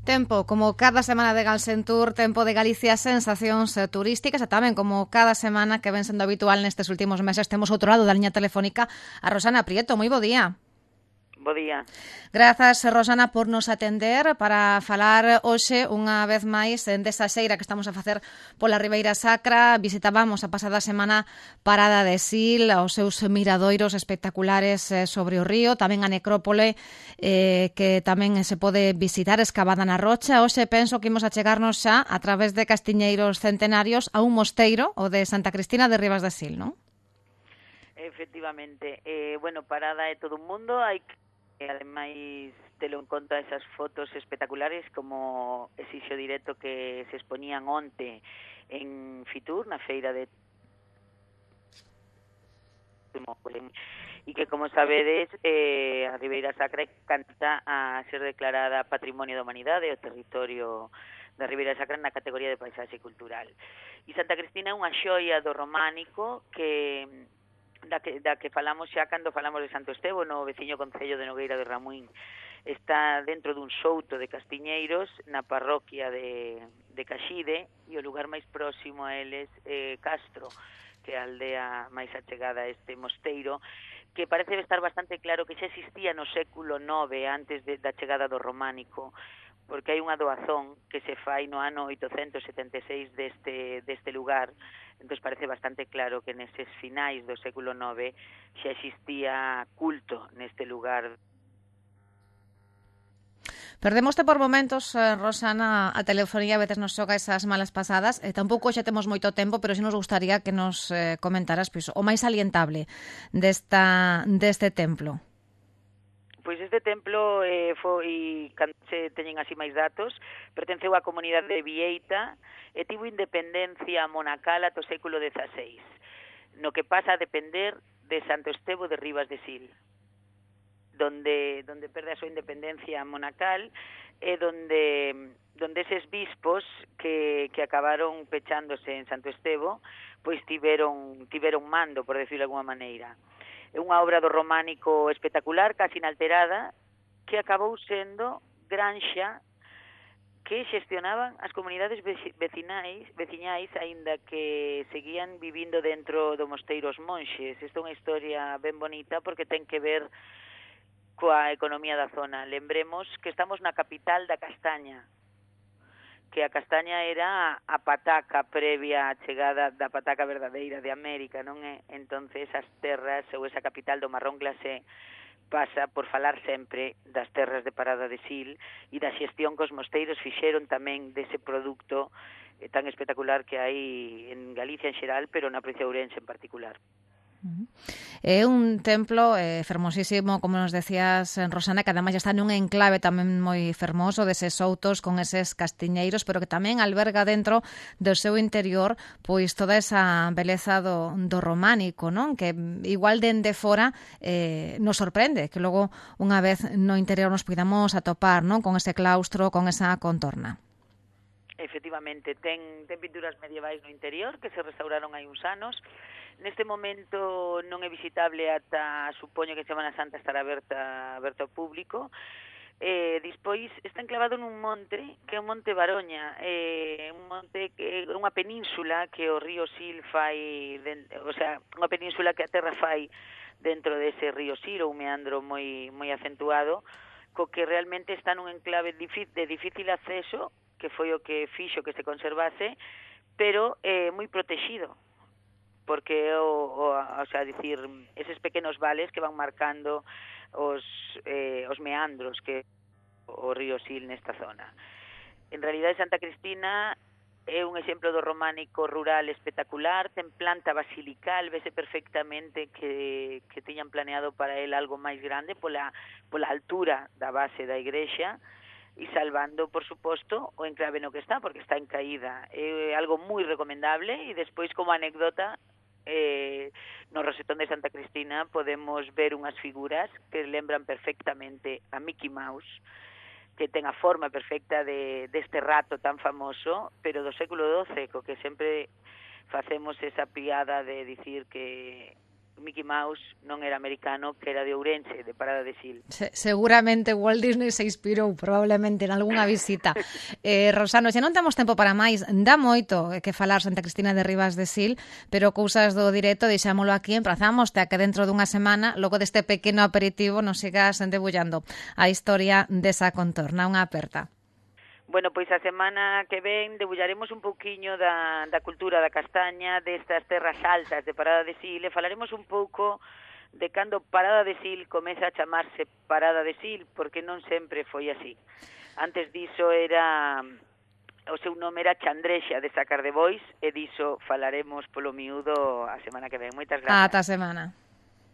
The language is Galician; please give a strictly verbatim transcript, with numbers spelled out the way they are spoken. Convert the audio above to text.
Tempo, como cada semana de Galsen Tour, tempo de Galicia, sensacións turísticas e tamén como cada semana que ven sendo habitual nestes últimos meses temos outro lado da liña telefónica a Rosana Prieto. Moi bo día. Bo día. Grazas, Rosana, por nos atender para falar hoxe unha vez máis desa xeira que estamos a facer pola Ribeira Sacra. Visitábamos a pasada semana Parada de Sil, os seus miradoiros espectaculares sobre o río, tamén a necrópole eh, que tamén se pode visitar escavada na rocha. Hoxe penso que imos a chegarnos xa a través de castiñeiros centenarios a un mosteiro, o de Santa Cristina de Ribas de Sil, non? Efectivamente. Eh, bueno, Parada é todo un mundo, hai que E, ademais, telo en conta esas fotos espectaculares como ese xo directo que se expoñían onte en Fitur, na feira de e que, como sabedes, eh, a Ribeira Sacra canta a ser declarada Patrimonio da Humanidade, o territorio da Ribeira Sacra na categoría de paisaxe cultural. E Santa Cristina é unha xoia do románico que da que, da que falamos xa cando falamos de Santo Estevo, no veciño concello de Nogueira de Ramuín. Está dentro dun souto de castiñeiros na parroquia de, de Caxide, e o lugar máis próximo a eles é Castro, que é a aldea máis achegada a este mosteiro, que parece estar bastante claro que xa existía no século nove, antes de, da chegada do románico, porque hai unha doazón que se fai no ano oitocentos setenta e seis deste, deste lugar. Entón parece bastante claro que neses finais do século nove xa existía culto neste lugar. Perdemoste por momentos, eh, Rosana, a telefonía a veces nos xoga esas malas pasadas, e tampouco xa temos moito tempo, pero si nos gustaría que nos eh, comentaras pois, o máis salientable desta, deste templo. Pois este templo eh, foi, cando se teñen así máis datos, pertenceu á comunidade de Vieita e tivo independencia monacal ata o século dezaseis, no que pasa a depender de Santo Estevo de Ribas de Sil, donde donde perde a súa independencia monacal e donde donde eses bispos que, que acabaron pechándose en Santo Estevo, pois tiveron tiveron mando, por decirlo de alguma maneira. É unha obra do románico espectacular, casi inalterada, que acabou sendo granxa que xestionaban as comunidades vecinais, veciñais, aínda que seguían vivindo dentro do mosteiro os monxes. Isto é unha historia ben bonita porque ten que ver coa economía da zona. Lembremos que estamos na capital da castaña, que a castaña era a pataca previa á chegada da pataca verdadeira de América, non é? Entonces as terras ou esa capital do marrón glacé pasa por falar sempre das terras de Parada de Sil e da xestión que os mosteiros fixeron tamén dese produto tan espectacular que hai en Galicia en xeral, pero na provincia de Ourense en particular. É un templo eh, fermosísimo, como nos decías, Rosana, que ademais está nun enclave tamén moi fermoso deses soutos con eses castiñeiros, pero que tamén alberga dentro do seu interior pois toda esa beleza do, do románico, non? Que igual dende fora eh, nos sorprende, que logo unha vez no interior nos podamos atopar, non? Con ese claustro, con esa contorna. Efectivamente, ten, ten pinturas medievais no interior que se restauraron hai uns anos. Neste momento non é visitable ata, supoño que Semana Santa estará aberta, aberta ao público. Eh, despois está enclavado nun monte, que é o Monte Baroña, eh, un monte que é unha península que o río Sil fai, dentro, o sea, unha península que a terra fai dentro dese río Sil, un meandro moi moi acentuado, co que realmente está nun enclave de difícil acceso, que foi o que fixo que se conservase, pero eh, moi protegido, porque o, o, o sea, dicir, eses pequenos vales que van marcando os, eh, os meandros que o río Sil nesta zona. En realidade, Santa Cristina é un exemplo do románico rural espectacular, ten planta basilical, vese perfectamente que, que tiñan planeado para el algo máis grande pola, pola altura da base da igrexa, e salvando, por suposto, o enclave no que está, porque está en caída. É algo moi recomendable, e despois, como anécdota, eh, no Rosetón de Santa Cristina podemos ver unhas figuras que lembran perfectamente a Mickey Mouse, que ten a forma perfecta de deste rato tan famoso, pero do século doce, co que sempre facemos esa piada de dicir que Mickey Mouse non era americano, que era de Ourense, de Parada de Sil. Se, seguramente Walt Disney se inspirou probablemente en algunha visita. eh, Rosano, xa non temos tempo para máis, dá moito que falar Santa Cristina de Ribas de Sil, pero cousas do directo deixámolo aquí, emprazamos a que dentro dunha semana, logo deste pequeno aperitivo, nos sigas debullando a historia desa contorna, unha aperta. Bueno, pois a semana que ven debullaremos un pouquiño da, da cultura da castaña, destas terras altas de Parada de Sil, e falaremos un pouco de cando Parada de Sil comeza a chamarse Parada de Sil, porque non sempre foi así. Antes diso era, o seu nome era Chandrexa de Sacar de Bois, e diso falaremos polo miúdo a semana que ven. Moitas grazas. Ata a semana.